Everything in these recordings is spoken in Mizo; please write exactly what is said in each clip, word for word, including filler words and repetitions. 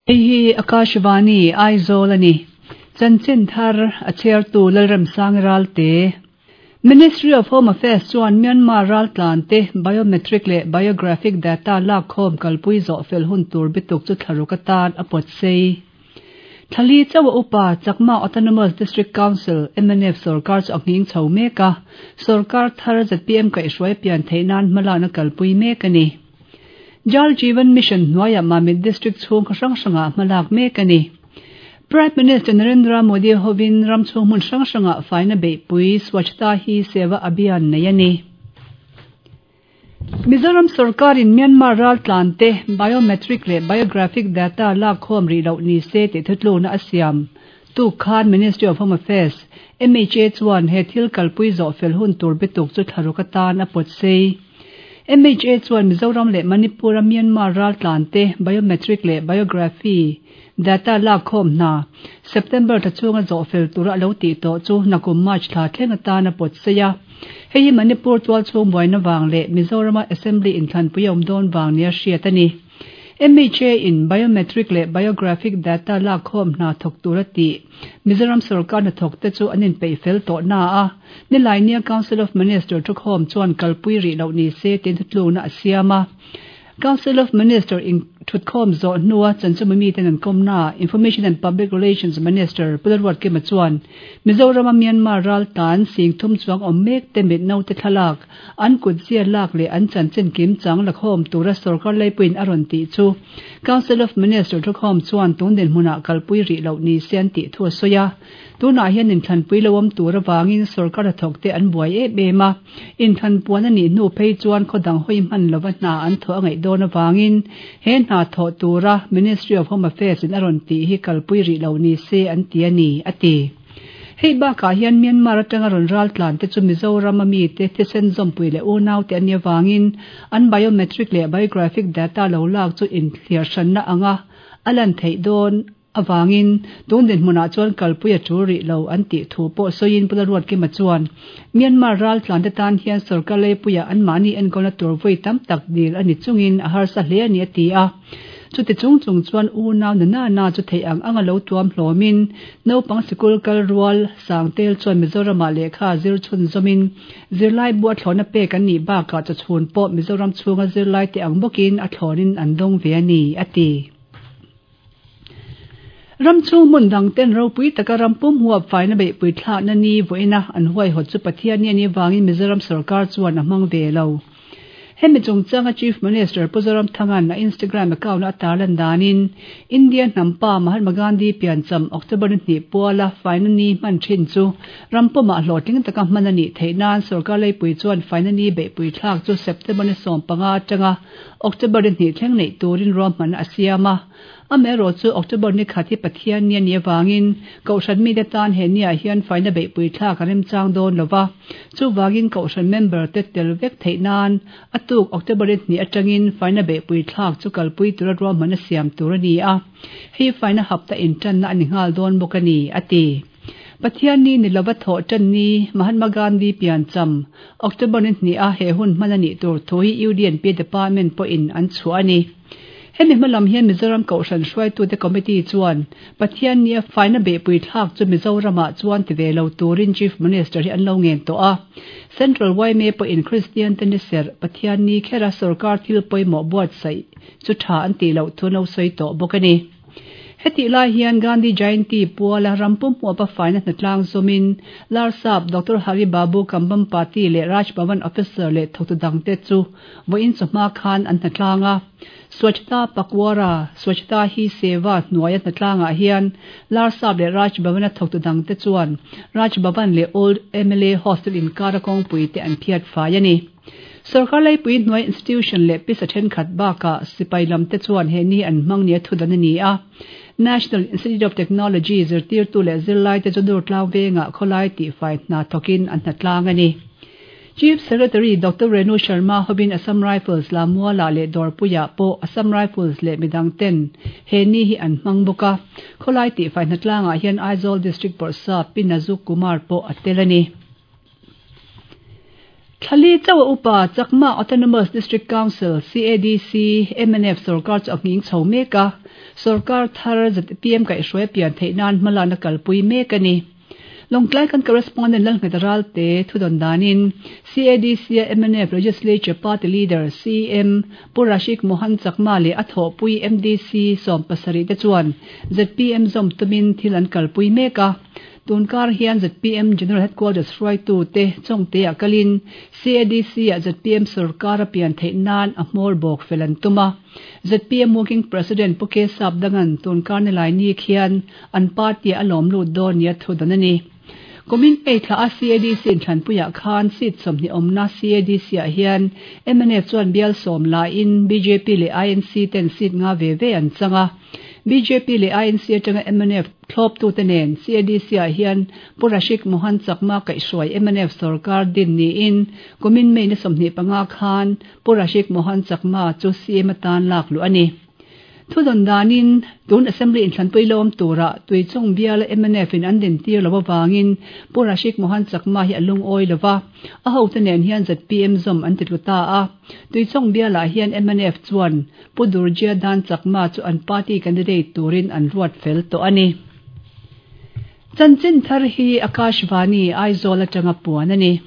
Hei hi Akashvani Aizawl a ni. Chanchin thar a chhiartu Lalremsang Ralte. Ministry of Home Affairs chuan Myanmar raltlan te biometric leh biographic data lakkhawm kalpui zawh fel hun tur bituk chu thlaruk atan a pawt sei. Thali chawa upa Chakma Autonomous District Council M N F sarkar chu a nghing chho mek a, sarkar thar Z P M kaihhruai pian theih nan hmalakna kalpui mek a ni. Jal Jeevan Mission hnuaiah Mamit District chhung khaw hrang hrangah hmalak mek a ni. Prime Minister Narendra Modi hovin ram chhung hmun hrang hrangah faina beihpui Swachhta Hi Seva Abhiyan nei a ni. Mizoram sarkarin Myanmar raltlan te biometric leh biographic data lakkhawm rih loh ni se tih thutlukna a siam tuk khan Ministry of Home Affairs M H A chuan he thil kalpui zawh fel hun tur bituk chu thlaruk atan a pawt sei. M H A chuan Mizoram leh Manipur a Myanmar raltlan te biometric leh biography data lakkhawm hna September thla chhunga zawh fel tura a lo tih tawh chu nakum March thla thleng atan a pawt sei a. Hei hi Manipur tualchhung buaina vang leh Mizorama Assembly inthlanpui a awm dawn vang nia hriat a ni. M H A in biometric leh biographic data lakkhawm hna thawk tura tih Mizoram sarkar hnathawk te chu an inpeih fel tawh na a, Nilaini Council of Minister thukhawm chuan kalpui rih loh ni se tin thutlukna a siam a. Council of Minister in thutkhawm zawh hnua chanchinbu miten an kawmna Information and Public Relations Minister Pu Lalruatkima chuan Mizorama Myanmar raltlan sing thum chuang awm mek te mit naute thlalak an kut zia lak leh an chanchin kim chang lakhawm tura sarkar leipuiin a rawn tih chu Council of Minister thukhawm chuan tun dinhmunah kalpui rih loh ni se an tih thu a sawi a. Tunah hian inthlanpui lo awm tur awangin sarkar hnathawk te an buai em em a, inthlanpuan a nih hnu phei chuan khawdang hawi hman lova hna an thawh a ngaih dawn awangin he hna thawh tura Ministry of Home Affairs in a rawn tih hi kalpui rih lo ni se an ti a ni, a ti. Hei bakah hian Myanmar atanga rawn raltlan te chu Mizoram ami te thisen zawmpui leh unau te an nih awangin an biometric leh biographic data lo lak chu inthliar hranna anga a lan theih dawn awangin tun dinhmunah chuan kalpui a tul rih lo an tih thu pawh sawiin Pu Lalruatkima chuan Myanmar raltlan te tan hian sarkar leipuiah an mahni enkawlna tur vawi tam tak dil a ni chungin a harsa hle a ni a ti a. Chuti chung chung chuan unau na na na chu thei ang anga lo tuam hlawmin naupang sikul kal rual sangtel chuan Mizoramah lehkha zir chhun zawmin zirlai bu a thlawna pek an nih bakah chawchhun pawh Mizoram chhunga zirlai te ang bawkin a thlawnin an dawng ve a ni, a ti. Ram chhung hmun dang ten ropui taka ram pum huap faina beihpui thlakna ni vawiina an huaihawt chu Pathian ni a nih vangin Mizoram sarkar chuan a hmang ve lo. Hemi chungchanga Chief Minister Pu Zoramthanga'n a Instagram account a tarlan danin India hnampa Mahatma Gandhi piancham October ni hnih puala faina ni hman thin chu ram pumah hlawhtling taka hman a nih theih nan sarkar leipui chuan faina ni beihpui thlak chu September ni sawm panga atanga October ni hnih thleng neih turin ruahman a siam a. Amaherawh chu October ni khat hi Pathian ni a nih awangin kohhran mite tan he niah hian faina beihpui thlak a remchang dawn lova, chuwangin kohhran member te tel vek theih nan a tuk October ni hnih atangin faina beihpui thlak chu kalpui tura ruahman a siam tur a ni a. Hei faina hapta intanna a ni nghal dawn bawk a ni, a ti. Pathian ni ni lova thawh tan ni Mahatma Gandhi piancham October ni hnih a he hun hman a nih tur thu hi U D and P Department pawhin an chhuah a ni. Hemi hmalam hian Mizoram Kohhran hruaitute Committee chuan Pathian ni a faina beihpui thlak chu Mizoramah chuan ti ve lo turin Chief Minister hi an lo ngen tawh a. Central Y M A pawhin Christian te ni serh Pathian ni khera sarkar thil pawimawh buatsaih chu tha an tih loh thu no sawi tawh bawk a ni. Heti lai hian Gandhi Jayanti puala rampum huapa faina hnatlang zawmin Larsap Doctor Hari Babu Kambhampati leh Raj Bhavan officer leh thawktu dangte chu vawiin chawhma khan an hnatlang a. Swachhta Pakhwada Swachhta Hi Seva hnuaia hnatlangah hian Larsap leh Raj Bhavan a thawktu dangte chuan Raj Bhavan leh Old M L A Hostel inkara kawngpui te an phiat fai a ni. Sarkar leipui hnuai institution leh pisa thenkhat bakah sipai lam te chuan he ni an hmang nia thudan a ni a. National Institute of Technology zirtirtu leh zirlai te chu Durtlang vengah khawlai tih fai hna thawkin an hnatlang a ni. Chief Secretary Doctor Renu Sharma hovin Assam Rifles Lammualah leh Dawrpuiah pawh Assam Rifles leh midang ten he ni hi an hmang bawk a. Khawlai tih fai hnatlangah hian Aizawl District Bawrhsap Pi Nazuk Kumar pawh a tel a ni. Thali chawa upa Chakma Autonomous District Council C A D C M N F sarkar chu anging chho meka sarkar thar Z P M kai hruai pian theinan hmalana kalpui mek ani. Longtlai kan correspondent Lal Ngetaral te thudon danin C A D C M N F Legislature Party Leader C M Purashik Mohan Chakma le atho pui M D C som pasari te chuan Z P M zom tumin thil an kalpui meka. Tunkar hian Z P M General Headquarters hruai tu te chongte a kalin C A D C a Z P M sarkar a pian theinan a hmawr bawk felan tuma. Z P M Working President Puke Sapdangan tunkar ni lai ni khian an party a lawm lut dawn nia thudon ani. Kumin ei thla a C A D C in thlanpuia khan seat sawmhnih awmna C A D C ah hian M N F chuan bial sawm la in B J P leh I N C ten seat nga ve ve an changa. B J P leh I N C atanga M N F thlawp tu te nen C A D C ah hian Purashik Mohan Chakma kaihhruai M N F sarkar din niin kumin May ni sawmhnih panga khan Purashik Mohan Chakma chu C M atan lak lu ani. Thudon danin tun assembly in thlanpui lawm tura tuichung bial M N F in an din tir lo wangin Purashik Mohan Chakma hi alung oi lova a ho te nen hian Z P M zom an titluta a tuichung biala hian M N F chuan Pudurjia Dan Chakma chu an party candidate turin an ruat fel to ani. Chanchin thar hi Akashvani Aizawl atanga puan ani.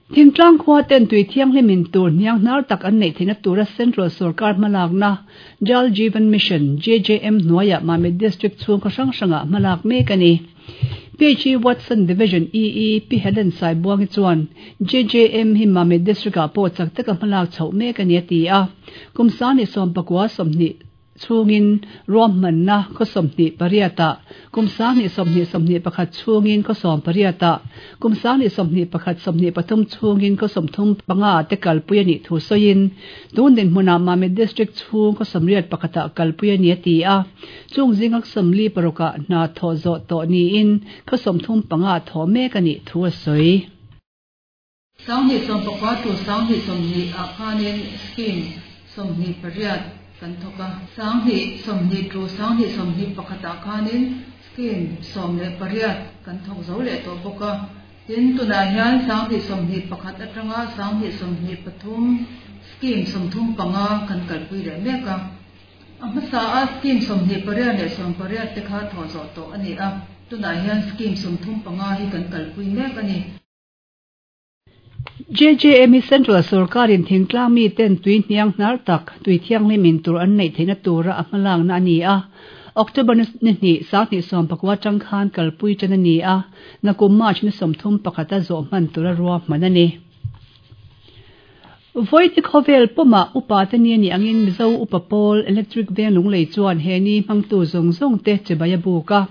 Thingtlang khua ten tui thianghlimin tur hniang hnar tak an nei theihna tura Central Sarkar hmalakna Jal Jeevan Mission J J M hnuaiah Mamit District chhung khaw hrang hrangah hmalak mek ani. P H E Watson Division E E P Helen Saibuangi chuan J J M hi Mamit District ah pawh chak taka hmalak chhoh mek ani a ti a. Kum sani sawm pakua sawmhnih chhungin ruahmanna khaw sawmhnih pariata kum sanghnih sawmhnih sawmhnih pakhat chhungin khaw sawm pariata kum sanghnih sawmhnih pakhat sawmhnih pathum chhungin khaw sawmthum panga te kalpui ani thu sawiin tun din hmunah Mamit District chhung khaw sawmriat pakhata kalpui ani a ti a. Chung zingak sawmli parukah hna thaw zawh tawh niin khaw sawmthum panga thaw mek ani thu a sawi. Sanghnih sawm pakua tu sanghnih sawmhnih ah khanin scheme sawmhnih pariat kan thoka sanghnih sawmhnih tu sanghnih sawmhnih pakhata khanin scheme sawm leh pariat kan thok zo leh tawh bawk a. Tin tunah hian sanghnih sawmhnih pakhat atanga sanghnih sawmhnih pathum scheme sawmthum panga kan kalpui leh mek a. A hmasa a scheme sawmhnih pariat leh sawm pariat te kha thaw zawh tawh ani a. Tunah hian scheme sawmthum panga hi kan kalpui mek ani. J J M Central Sarkarin thingtlang mi ten tui hniang hnar tak tui thianghlimin tur an nei theihna tura a hmalakna ani a. October ni hnih sanghnih sawm pakua tang khan kalpui tan ani a. Nakum March ni sawmthum pakhata zawh hman tura ruahman ani. Voiti khawvel puma upa te ni ani angin Mizo upa pawl electric veng lunglei chuan he ni hmangtu zawng zawng te chibaya buka.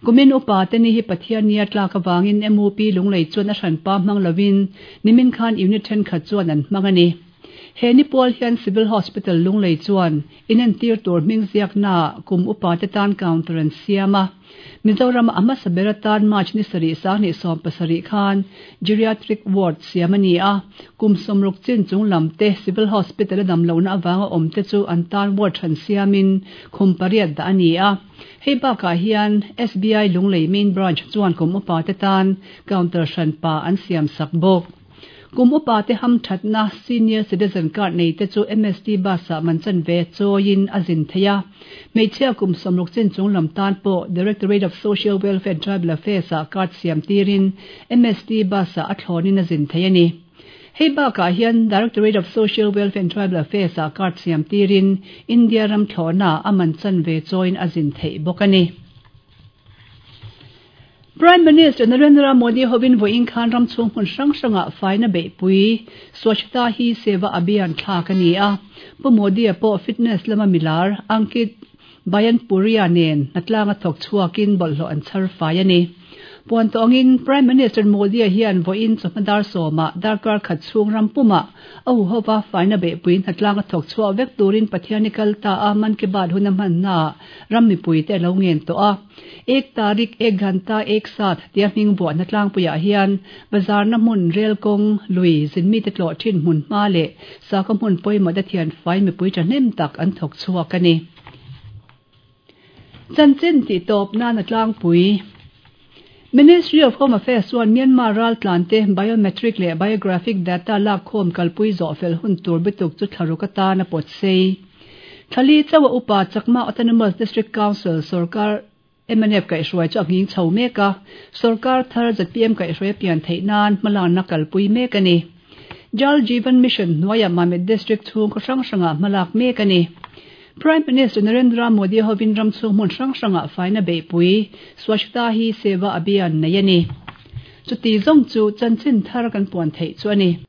Kumin upa te ni hi Pathian nia tlak awangin M U P lunglei chuan a hranpa hmang lovin nimin khan unit thenkhat chuan an hmang ani. He ni pawl hian Civil Hospital lunglei chuan inentir tur hming ziakna kum upa te tan counter an siam a. Mizoram a hmasa ber atan March ni sarih sanghnih sawm pasarih khan geriatric ward siam ani a. Kum sawmruk chin chung lam te Civil Hospital a damlohna awanga awm te chu an tan ward hran siamin khum pariat dah ani a. Hei bakah hian S B I lunglei main branch chuan kum upa te tan counter hranpa an siam sak bawk. Kum upa te ham thatna senior citizen card nei te chu M S T bus ah man chan ve chawiin a zin theia. Hmeichhia kum sawmruk chin chung lam tan pawh Directorate of Social Welfare and Tribal Affairs ah card siam tirin M S T bus ah a thlawnin a zin thei ani. Hei bakah hian Directorate of Social Welfare and Tribal Affairs ah card siam tirin India ram thlawna a man chan ve chawiin a zin thei bawk ani. Prime Minister Narendra Modi hovin voin khan ram chung hmun hrang hranga faina beihpui Swachhata Hi Seva Abhiyan thlak ani a. Pu Modi a pawh fitness lama milar Ankit Bayanpuria nen hnatlanga thawk chhuakin bawlhhlawh an chhar fai ani. Puan tawngin Prime Minister Modi a hian voin chawhma dar sawma darkar khat chhung ram puma a huhova faina beihpui hnatlanga thawk chhuah vek turin Pathian ni kal ta a Mann Ki Baat hun a hmanna ram mipui te lo ngen tawh a. Ek tarik ek ghanta ek saath tia hming buah hnatlangpuiah hian bazar na hmun rel kawng lui zinmi te tlawh thin hmun hma leh sakhaw hmun pawimawh te thian fai mipui thahnem tak an thawk chhuak ani. Chanchin tih tawp nan a tlangpui. Ministry of Home Affairs chuan Myanmar raltlan te biometric leh biographic data lakkhawm kalpui zawh fel hun tur bituk chu thlaruk atan a pawt sei. Thali chawa upa Chakma Autonomous District Council sarkar M N F kaihhruai chu a nghing chho mek a, sarkar thar Z P M kaihhruai pian theih nan hmalakna kalpui mek a ni. Jal Jeevan Mission hnuaiah Mamit District chhung khaw hrang hrangah hmalak mek a ni. Prime Minister Narendra Modi hovin ram chhung hmun hrang hrangah faina beihpui Swachhta Hi Seva Abhiyan nei a ni. Chuti zawng chu chanchin thar kan puan theih chu a ni.